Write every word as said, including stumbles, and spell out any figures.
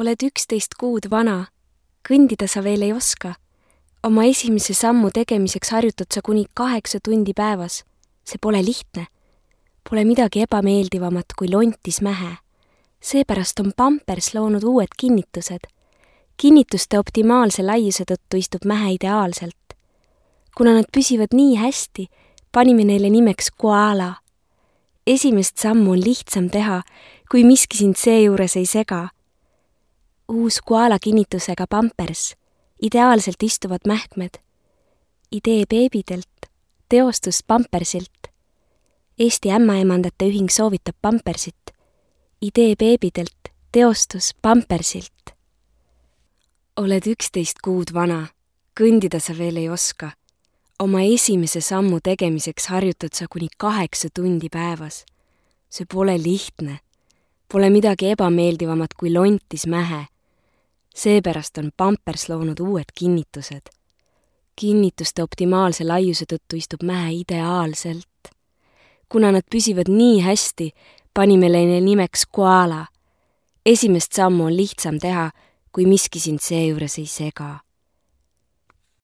Oled üksteist kuud vana, kõndida sa veel ei oska. Oma esimese sammu tegemiseks harjutad sa kuni kaheksa tundi päevas. See pole lihtne. Pole midagi ebameeldivamat kui lontis mähe. Seepärast on Pampers loonud uued kinnitused. Kinnituste optimaalse laiuse tõttu istub mähe ideaalselt. Kuna nad püsivad nii hästi, panime neile nimeks koala. Esimest sammu on lihtsam teha, kui miski sind seejuures ei sega. Uus koala kinnitusega Pampers, ideaalselt istuvad mähkmed. Idee beebidelt, teostus Pampersilt. Eesti ämmaemandate ühing soovitab Pampersit. Idee beebidelt, teostus Pampersilt. Oled üksteist kuud vana, kõndida sa veel ei oska. Oma esimese sammu tegemiseks harjutad sa kuni kaheksa tundi päevas. See pole lihtne. Pole midagi ebameeldivamat kui lontis mähe. Seepärast on Pampers loonud uued kinnitused. Kinnituste optimaalse laiuse tõttu istub mähe ideaalselt. Kuna nad püsivad nii hästi, panime neile nimeks koala. Esimest sammu on lihtsam teha, kui miski sind seejuures ei sega.